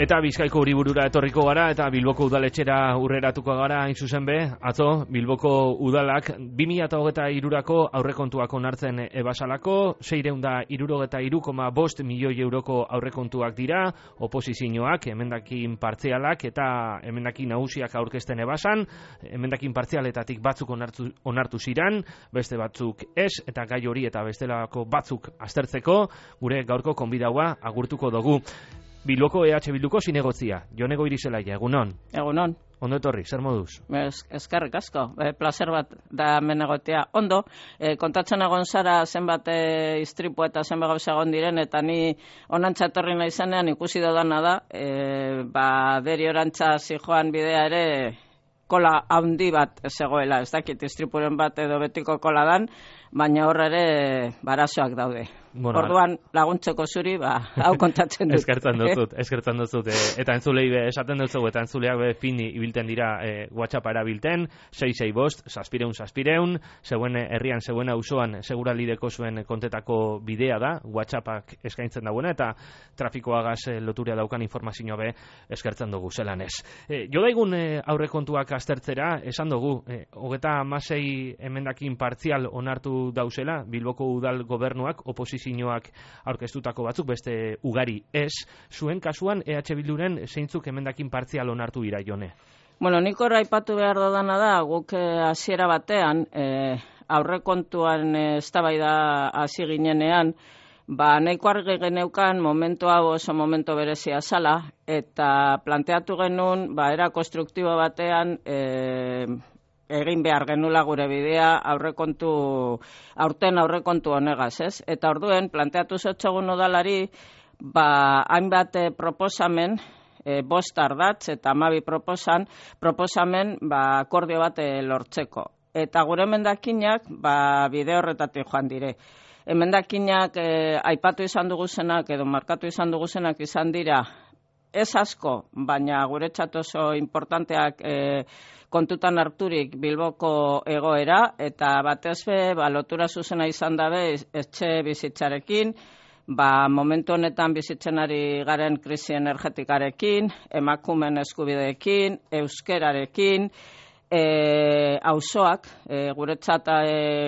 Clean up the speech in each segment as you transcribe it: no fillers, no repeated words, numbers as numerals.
Eta Bizkaiko hiriburura etorriko gara eta Bilboko udaletxera urreratuko gara hain zuzen be. Atzo Bilboko udalak 2023ko aurrekontuak onartzen ebasalako, 663,5 milioi euroko aurrekontuak dira, oposizioak, emendakin partzialak eta emendakin nagusiak aurkezten ebasan, emendakin partzialetatik batzuk onartu ziran, beste batzuk ez, eta gai hori eta bestelako batzuk aztertzeko, gure gaurko konbidaua agurtuko dugu. Bilboko EH Bilduko zinegotzia, Jonego Irizelaia, egunon? Egunon. Ondo etorri, zer moduz? Eskerrik asko, placer bat da hemen egotea. Ondo, kontatzen egon zara zenbat istripu eta zenbat gauza egon diren, eta ni onantza etorri nahi zenean ikusi dodana da, deri orantza zijoan bidea ere kola handi bat zegoela, ez dakit istripuren bat edo betiko kola dan, baina horre ere barazoak daude. Bueno, orduan laguntzeko zuri, hau kontatzen dut. Eskertzen dut. Eta entzulei esaten dut, eta entzuleak fini ibilten dira WhatsAppa erabilten, 665, saspireun, zeuen herrian, zeuen auzoan, seguralideko zuen kontetako bidea da, WhatsAppak eskaintzen dagoena, eta trafikoagaz loturia daukan informazioa be eskertzen dugu, zelan ez. Jo daigun aurrekontuak aztertzera, esan dugu, 36 emendakin partzial onartu dauzela, Bilboko udal gobernuak, oposizioak aurkeztutako batzuk, beste ugari ez, zuen kasuan EH Bilduren zeintzuk emendakin partzial onartu dira, Jone? Bueno, nik horra aipatu behar dodana da, guk hasiera batean, aurrekontuan eztabaida hasi ginenean, nahiko argi geneukan momentu hau oso momentu berezia zala, eta planteatu genuen, era konstruktibo batean, egin behar genula gure bidea aurten aurrekontu honegaz, ez? Eta orduen, planteatu zotxogun udalari, hainbat proposamen, 5 ardatz eta 12 proposamen, akordio bat lortzeko. Eta gure emendakinak, bide horretatik joan dire. Emendakinak aipatu izan duguzenak edo markatu izan duguzenak izan dira, ez asko, baina guretzat oso importanteak kontutan harturik Bilboko egoera, eta batez be, lotura zuzena izan dabe etxe bizitzarekin, momentu honetan bizitzen ari garen krisi energetikarekin, emakumeen eskubideekin, euskerarekin, auzoak, guretzat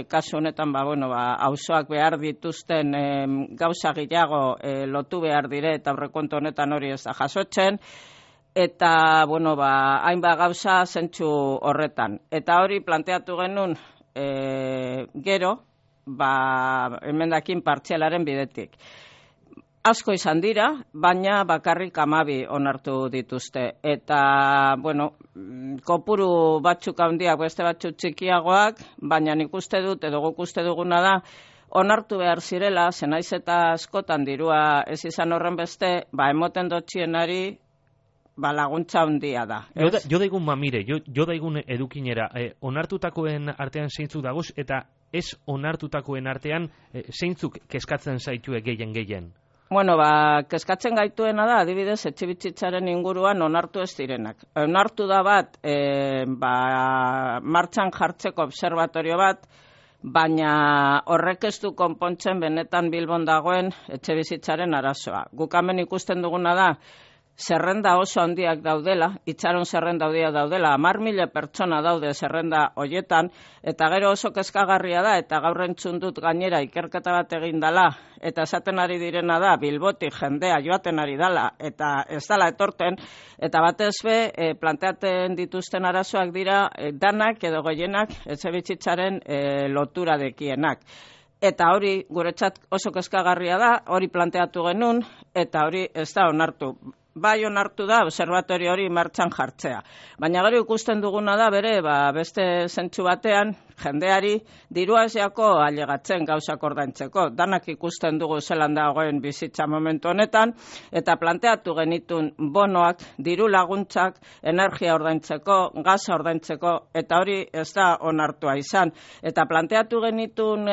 kasu honetan, auzoak behar dituzten gauza gehiago lotu behar dire, eta aurrekontu honetan hori ez da jasotzen, eta, hainbat gauza zentzu horretan. Eta hori planteatu genuen gero, emendakin partzialaren bidetik. Asko izan dira, baina bakarrik 12 onartu dituzte. Eta, kopuru batzuk handiak, beste batzuk txikiagoak, baina nik uste dut, edo guk uste duguna da, onartu behar zirela, zenaiz eta askotan dirua ez izan horren beste, emoten dotxienari, laguntza handia da. Jo daigun mamire, jo daigun edukinera, onartutakoen artean zeintzuk daguz, eta ez onartutakoen artean zeintzuk kezkatzen zaitue gehien? Kezkatzen gaituena da, adibidez, etxebizitzaren inguruan onartu ez direnak. Onartu da bat, martxan jartzeko observatorio bat, baina horrek ez du konpontzen benetan Bilbon dagoen etxebizitzaren arazoa. Guk hemen ikusten duguna da, zerrenda oso handiak daudela, itxaron zerrenda handiak daudela, 10.000 pertsona daude zerrenda hoietan, eta gero oso kezkagarria da, eta gaur entzun dut gainera ikerketa bat egin dela, eta esaten ari direna da, Bilbotik jendea joaten ari dela, eta ez dela etorten, eta batez be, planteaten dituzten arazoak dira, danak edo goienak etxebizitzaren lotura dekienak. Eta hori guretzat oso kezkagarria da, hori planteatu genuen, eta hori ez da onartu. Bai onartu da observatorio hori martxan jartzea. Baina gero ikusten duguna da bere, beste zentsu batean, jendeari dirua ezeako ailegatzen gauzak ordaintzeko. Danak ikusten dugu zelan dagoen bizitza momentu honetan, eta planteatu genitun bonoak, diru laguntzak, energia ordaintzeko, gaza ordaintzeko, eta hori ez da onartua izan. Eta planteatu genitun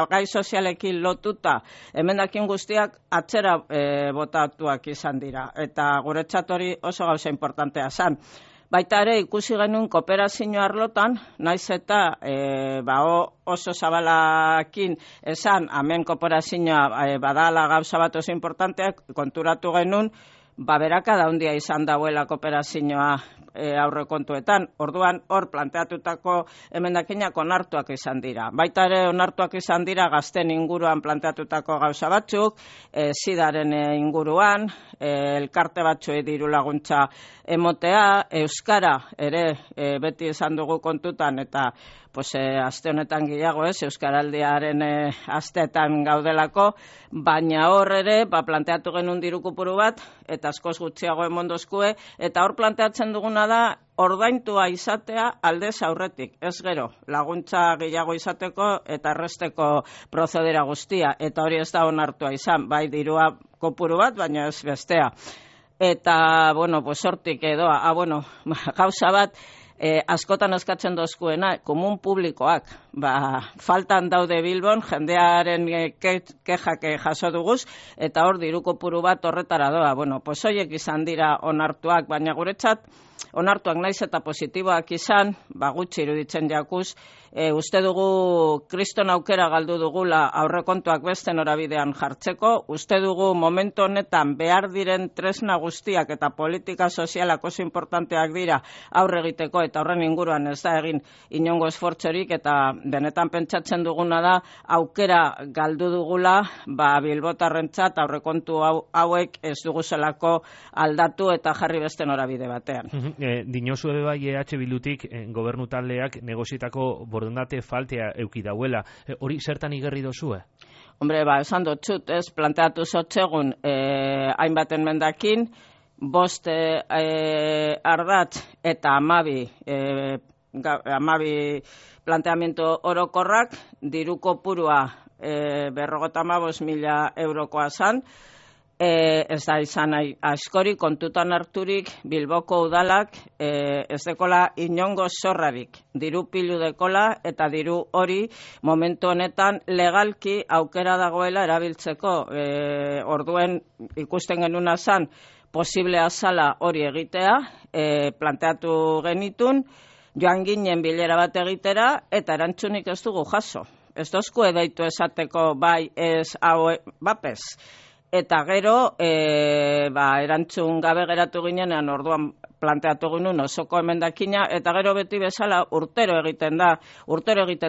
gai sozialekin lotuta, emendakin guztiak atzera botatuak izan dira. Eta guretzat hori oso gauza importantea zan. Baita ere ikusi genuen kooperazio arlotan, naiz eta oso zabalakin esan, hemen kooperazioa badala gauza bat oso importanteak, konturatu genuen, berakada handia izan dauela kooperazioa aurrekontuetan. Orduan hor planteatutako emendakinak onartuak izan dira. Baita ere onartuak izan dira gazten inguruan planteatutako gauza batzuk, sidaren inguruan, elkarte batzuei diru laguntza emotea, euskara ere beti esan dugu kontutan eta aste honetan gehiago euskaraldiaren asteetan gaudelako, baina hor ere planteatu genuen diru kopuru bat eta askoz gutxiago emondozkue, eta hor planteatzen duguna da ordaintua izatea aldez aurretik, ez gero, laguntza gehiago izateko eta erresteko prozedera guztia, eta hori ez da onartua izan, bai dirua kopuru bat, baina ez bestea. Eta, hortik edo, gauza bat, askotan eskatzen dozkuena, komun publikoak, faltan daude Bilbon, jendearen kexak jaso duguz, eta hor diru kopuru bat horretara doa. Horiek izan dira onartuak, baina guretzat, onartuak naiz eta positiboak izan, gutxi iruditzen jakuz, uste dugu kriston aukera galdu dugula aurrekontuak beste norabidean jartzeko, uste dugu momentu honetan behar diren tresna guztiak eta politika sozialak oso importanteak dira aurre egiteko, eta horren inguruan ez da egin inongo esfortzorik, eta benetan pentsatzen duguna da aukera galdu dugula bilbotarrentzat aurrekontu hauek ez duguzelako aldatu eta jarri beste norabide batean. Dinosu ebe bai EH Bildutik gobernu taldeak negozietako borondate faltea euki dauela. Hori zertan igerri dozue? Hombre, esan dutxut, planteatu zotxegun hainbaten mendakin, 5 ardatz eta 12 planteamiento orokorrak, diru kopurua 55.000 eurokoa zan, ez da izan askori kontutan harturik Bilboko udalak ez dekola inongo zorrarik, diru pilu dekola, eta diru hori momentu honetan legalki aukera dagoela erabiltzeko. Orduen ikusten genuna zan posiblea zala hori egitea, planteatu genitun, joan ginen bilera bat egitera, eta erantzunik ez dugu jaso. Ez dozku edaitu esateko bai ez hau bapez. Eta gero, erantzun gabe geratu ginean, orduan planteatu ginen osoko emendakina, eta gero beti bezala urtero egiten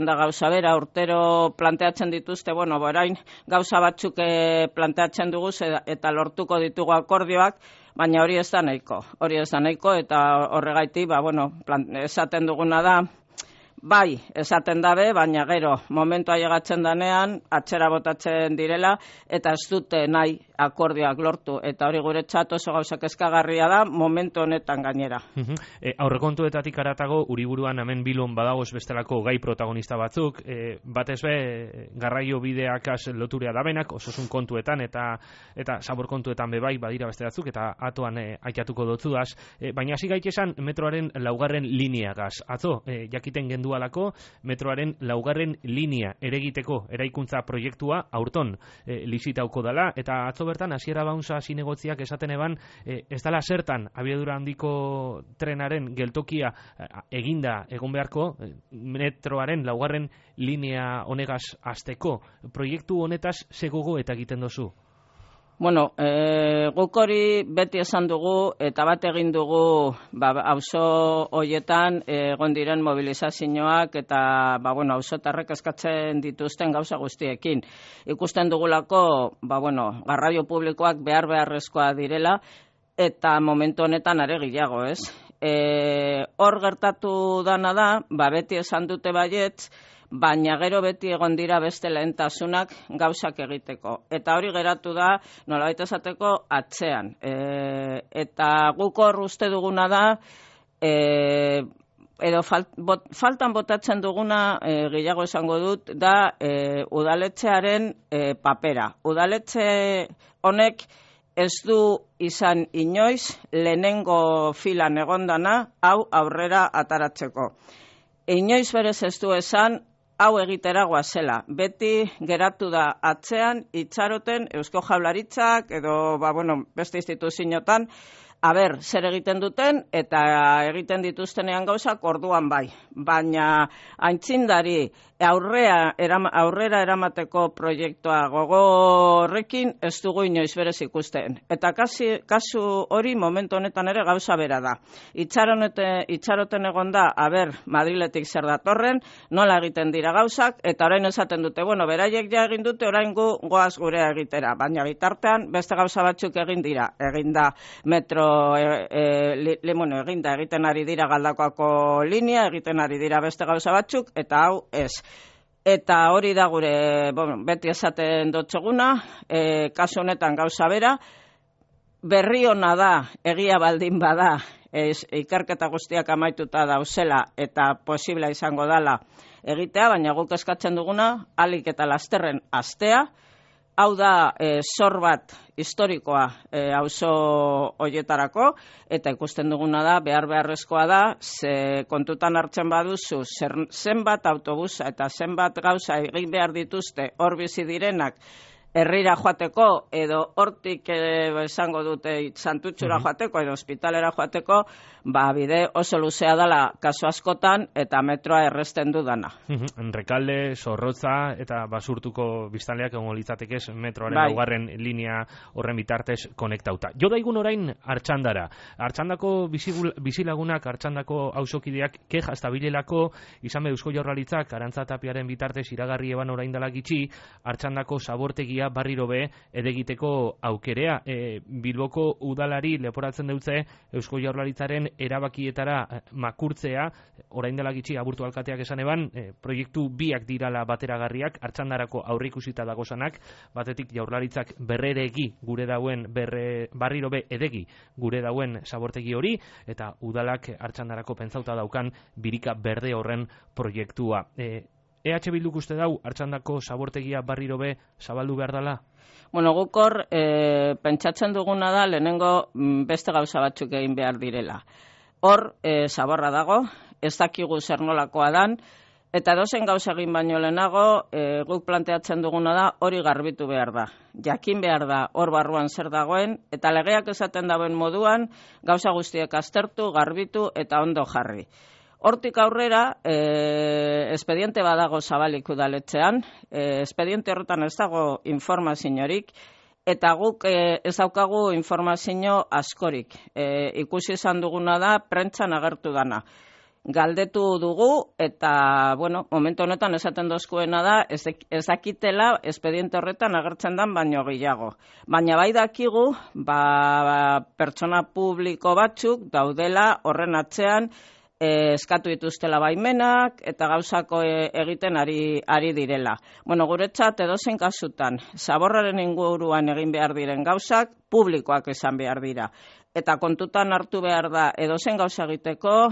da gauza bera, urtero planteatzen dituzte, orain gauza batzuk planteatzen dugu eta lortuko ditugu akordioak, baina hori ez da nahiko, eta horregaitik, esaten duguna da, bai, esaten dabe, baina gero, momentua llegatzen danean, atzera botatzen direla, eta ez dute nahi akordioak lortu, eta hori guretzat oso gauzak eskagarria da, momentu honetan gainera. Aurrekontuetatik aratago, Uriburuan hemen Bilbon badagoz bestelako gai protagonista batzuk, batez be, garraio bideakaz loturea dabenak, osasun kontuetan, eta zabor kontuetan bebai badira beste batzuk, eta atoan aikatuko dotzudaz, baina hasi gaitesan metroaren 4. lineagaz. Atzo, jakiten gendualako, metroaren 4. linea eregiteko eraikuntza proiektua aurton lizitauko dela, eta atzo bertan hasiera baunza zinegotziak esaten eban ez dela zertan abiadura handiko trenaren geltokia eginda egon beharko metroaren 4. linea honegaz hasteko. Proiektu honetaz zegogo eta egiten dozu? Guk hori beti esan dugu eta bat egin dugu auzo hoietan egon diren mobilizazioak eta auzotarrek eskatzen dituzten gauza guztiekin. Ikusten dugulako garraio publikoak beharrezkoa direla eta momentu honetan are gehiago, ez? Hor gertatu dana da, beti esan dute baietz, baina gero beti egon dira beste lehentasunak gauzak egiteko. Eta hori geratu da, nolabait esateko, atzean. Eta guk hor uste duguna da, edo faltan botatzen duguna, gehiago esango dut, da udaletxearen papera. Udaletxe honek ez du izan inoiz lehenengo filan egondana hau aurrera ataratzeko. Inoiz berez ez du esan hau egitera goazela. Beti geratu da atzean itxaroten Eusko Jaurlaritzak edo beste instituzioetan zer egiten duten, eta egiten dituztenean gauzak orduan bai. Baina aintzindari aurrera eramateko proiektua gogorrekin ez dugu inoiz berez ikusten. Eta kasu hori momentu honetan ere gauza bera da. Itxaroten egon da, Madriletik zer datorren, nola egiten dira gauzak, eta orain esaten dute, beraiek ja egin dute, orain goaz gurea egitera. Baina bitartean, beste gauza batzuk egin dira. Egin da metro, egiten ari dira Galdakoako linea, egiten ari dira beste gauza batzuk, eta hau ez. Eta hori da gure, beti esaten dotzeguna, kasu honetan gauza bera, berri ona da, egia baldin bada, ikerketa guztiak amaituta dauzela eta posibla izango dela egitea, baina guk eskatzen duguna, ahalik eta lasterren astea. Hau da zor bat historikoa auzo horietarako, eta ikusten duguna da, beharrezkoa da, ze kontutan hartzen baduzu, zenbat autobusa eta zenbat gauza egin behar dituzte hor bizi direnak, herrira joateko, edo hortik esango dute Santutxura joateko, edo ospitalera joateko, bide oso luzea dela kasu askotan, eta metroa erresten dudana. Rekalde, Zorrotza, eta Basurtuko biztanleak egongo litzatekez metroaren laugarren linea horren bitartez konektauta. Jo daigun orain Artxandara. Artxandako bizilagunak, Artxandako auzokideak keja estabilelako, izan Eusko Jaurlaritzak Arantza Tapiaren bitartez iragarri eban orain dela gitxi, Artxandako zabortegia barriro be edegiteko aukerea. Bilboko udalari leporatzen dutze Eusko Jaurlaritzaren erabakietara makurtzea, orain dela gitxi aburtu alkateak esan eban, proiektu biak dirala bateragarriak, Artxandarako aurreikusita dagozanak, batetik Jaurlaritzak berreregi gure dauen, barriro be edegi gure dauen zabortegi hori, eta udalak Artxandarako pentsauta daukan birika berde horren proiektua. EH Bilduk uste dau, Artxandako zabortegia barriro be zabaldu behar dela? Guk hor, pentsatzen duguna da, lehenengo beste gauza batzuk egin behar direla. Hor, zaborra dago, ez dakigu zer nolakoa dan, eta edozein gauza egin baino lehenago, guk planteatzen duguna da, hori garbitu behar da. Jakin behar da, hor barruan zer dagoen, eta legeak esaten dagoen moduan, gauza guztiek aztertu, garbitu eta ondo jarri. Hortik aurrera, espediente badago zabalik udaletxean, espediente horretan ez dago informaziorik, eta guk ez daukagu informazio askorik. Ikusi izan duguna da, prentzan agertu dana. Galdetu dugu, eta, momentu honetan esaten dozkuena da, ez dakitela espediente horretan agertzen dan baino gehiago. Baina bai dakigu, pertsona publiko batzuk daudela horren atzean, eskatu dituztela baimenak eta gauzako egiten ari direla. Guretzat edozein kasutan, zaborraren inguruan egin behar diren gauzak, publikoak izan behar dira. Eta kontutan hartu behar da edozein gauza egiteko,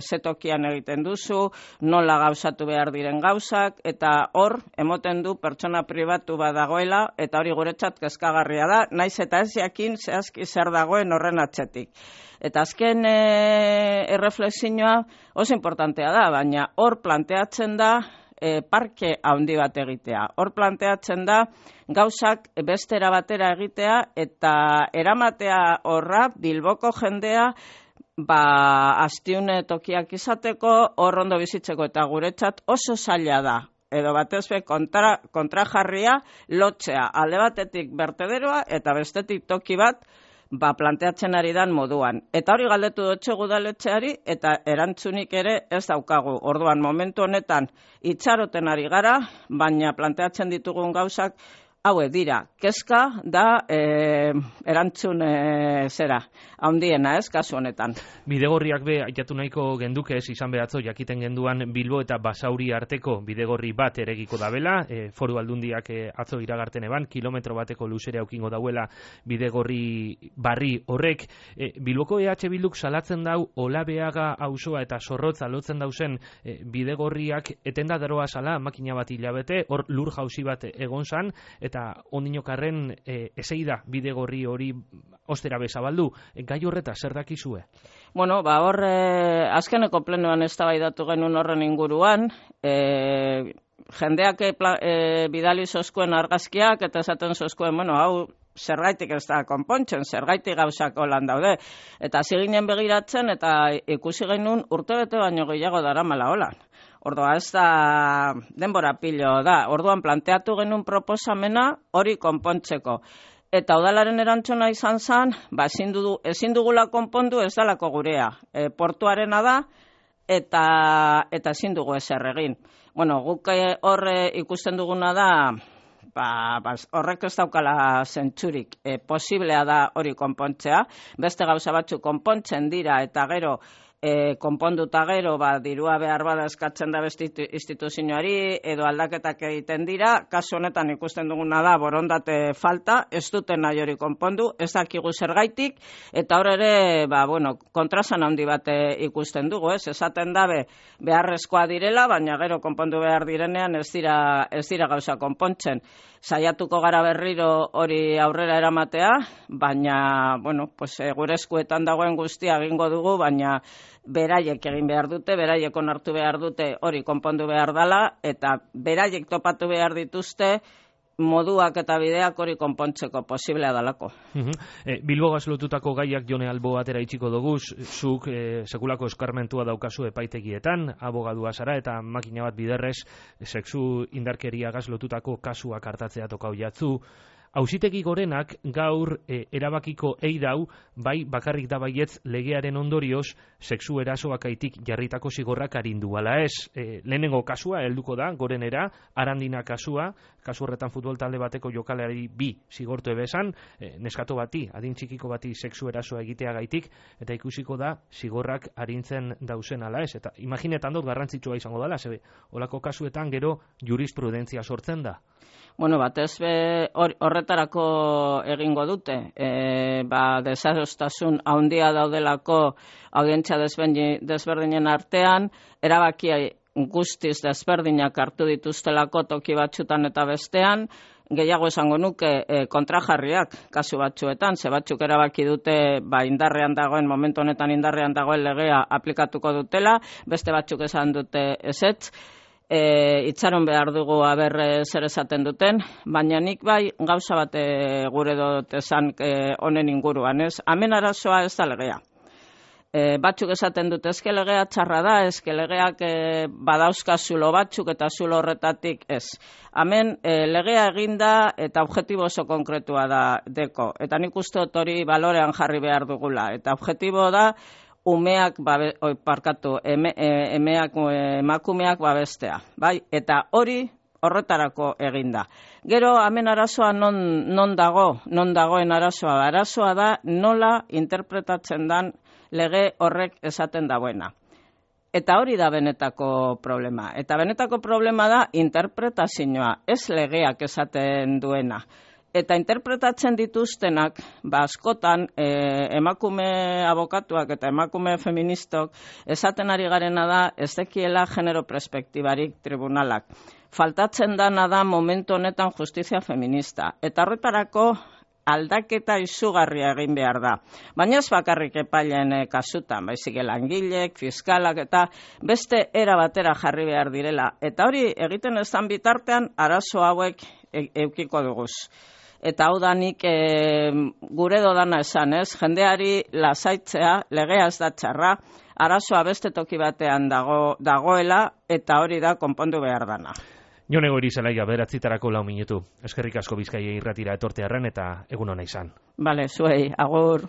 zetokian egiten duzu, nola gauzatu behar diren gauzak, eta hor, emoten du pertsona pribatu bat dagoela, eta hori guretzat kezkagarria da, naiz eta ez jakin zehazki zer dagoen horren atzetik. Eta azken erreflexioa oso importantea da, baina hor planteatzen da parke handi bat egitea. Hor planteatzen da gauzak bestera batera egitea eta eramatea horra Bilboko jendea astiune tokiak izateko, hor ondo bizitzeko, eta guretzat oso zaila da. Edo batez be kontrajarria lotzea alde batetik bertederoa eta bestetik toki bat planteatzen ari dan moduan. Eta hori galdetu dutxegu udaletxeari eta erantzunik ere ez daukagu. Orduan momentu honetan itxaroten ari gara, baina planteatzen ditugun gauzak hauek dira. Kezka da erantzun handiena kasu honetan. Bidegorriak be aitatu nahiko genduke ez izan behatzo jakiten genduan Bilbo eta Basauri arteko bidegorri bat eregiko dabela, foru aldundiak atzo iragarten eban, kilometro bateko luzera aukingo dauela bidegorri barri horrek. Bilboko EH Bilduk salatzen dau Olabeaga auzoa eta Zorrotza lotzen dauzen bidegorriak etenda daroa sala, makina bat hilabete, hor lur jauzi bat egon zan, eta ondinokarren eseida bidegorri hori ostera bezabaldu. Gai horreta zer dakizue? Hor azkeneko plenoan eztabaidatu genuen horren inguruan, jendeak bidali zozkuen argazkiak eta esaten zozkuen, hau zergaitik ez da konpontzen, zergaitik gauzak holan daude. Eta hasi ginen begiratzen eta ikusi genuen urtebete baino gehiago daramala holan. Orduan ez da denbora pilo da. Orduan planteatu genuen proposamena hori konpontzeko. Eta udalaren erantzuna izan zen, ezin dugula konpondu ez dalako gurea. Portuarena da eta ezin dugu ezer egin. Bueno, guk horre ikusten duguna da, horrek ez daukala zentzurik. Posiblea da hori konpontzea. Beste gauza batzuk konpontzen dira eta gero konponduta gero dirua behar bada eskatzen da beste instituzioari edo aldaketak egiten dira. Kasu honetan ikusten duguna da borondate falta, ez duten nahi hori konpondu, ez dakigu zergaitik, eta hor ere, kontrasan handi bat ikusten dugu, esaten dabe beharrezkoa direla, baina gero konpondu behar direnean ez dira gauza konpontzen. Saiatuko gara berriro hori aurrera eramatea, baina, gure eskuetan dagoen guztia egingo dugu, baina beraiek egin behar dute, beraiek onartu behar dute hori konpondu behar dela, eta beraiek topatu behar dituzte moduak eta bideak hori konpontzeko posiblea dalako. Bilbogaz lotutako gaiak Jone Albo atera itxiko dugu, zuk sekulako eskarmentua daukazu epaitegietan, abogadua zara eta makina bat biderrez sexu indarkeriagaz lotutako kasuak hartatzea tokau jatzu. Auzitegi Gorenak gaur erabakiko eidau, bai bakarrik da baietz legearen ondorioz sexu erasoakaitik jarritako zigorrak arindu ala ez. Lehenengo kasua helduko da Gorenera, Arandina kasua, kasu horretan futbol talde bateko jokalari 2 zigortu ebesan, neskato bati, adin txikiko bati sexu erasoa egiteagaitik, eta ikusiko da zigorrak arintzen dauzen ala ez. Eta imaginetan dut garrantzitsua izango dela, zebe, olako kasuetan gero jurisprudentzia sortzen da. Batez horretarako egingo dute. Desadostasun handia daudelako audientzia desberdinen artean, erabakia guztiz desberdinak hartu dituztelako toki batzutan eta bestean, gehiago esango nuke kontrajarriak kasu batzuetan, ze batzuk erabaki dute indarrean dagoen, momentu honetan indarrean dagoen legea aplikatuko dutela, beste batzuk esan dute ezetz. Itxaron behar dugu zer esaten duten, baina nik gauza bat gure dut esan honen inguruan, ez? Hemen arazoa ez da legea. Batzuk esaten dute, ezke legea txarra da, ezke legeak badauzka zulo batzuk eta zulo horretatik ez. Hemen legea eginda eta objektibo oso konkretua da deko. Eta nik uste dut hori balorean jarri behar dugula. Eta objektibo da, emakumeak babestea, bai? Eta hori horretarako eginda. Gero hemen arazoa non dagoen arazoa? Arazoa da nola interpretatzen dan lege horrek esaten dagoena. Eta hori da benetako problema. Eta benetako problema da interpretazioa, ez legeak esaten duena. Eta interpretatzen dituztenak, askotan emakume abokatuak eta emakume feministok esaten ari garena da ez dekiela genero perspektibarik tribunalak. Faltatzen dana da momentu honetan justizia feminista. Eta horretarako aldaketa izugarria egin behar da. Baina ez bakarrik epaileen kasutan, baizik langilek, fiskalak eta beste era batera jarri behar direla. Eta hori egiten ezan bitartean arazo hauek eukiko duguz. Eta hau da nik gure dodana esan, ez? Jendeari lasaitzea, legea ez da txarra, arazoa beste toki batean dagoela, eta hori da konpondu behar dana. Jone Goirizelaia, 9:00 minutu. Eskerrik asko Bizkaia irratira etortearren eta egun ona izan. Bale, zuei, agur.